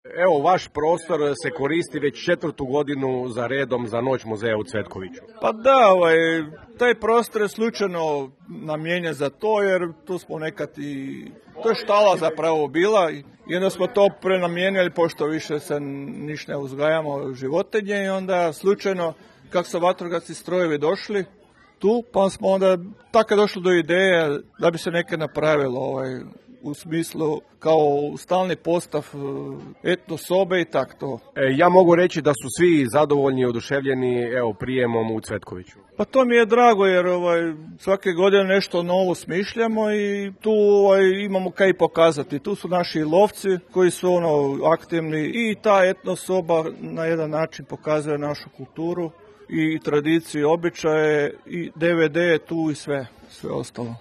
Evo, vaš prostor se koristi već 4. godinu za redom za Noć muzeja u Cvetkoviću. Pa da, taj prostor je slučajno namijenjen za to, jer tu smo nekad to je štala zapravo bila i onda smo to prenamijenili, pošto više se ništa ne uzgajamo životinje i onda slučajno kako su vatrogasni strojevi došli tu, pa smo onda tako došli do ideje da bi se neke napravilo u smislu kao stalni postav etno sobe i tako to. Ja mogu reći da su svi zadovoljni i oduševljeni prijemom u Cvetkoviću. Pa to mi je drago jer svake godine nešto novo smišljamo i tu imamo kaj pokazati. Tu su naši lovci koji su aktivni i ta etno soba na jedan način pokazuje našu kulturu i tradiciju, običaje i DVD je tu i sve ostalo.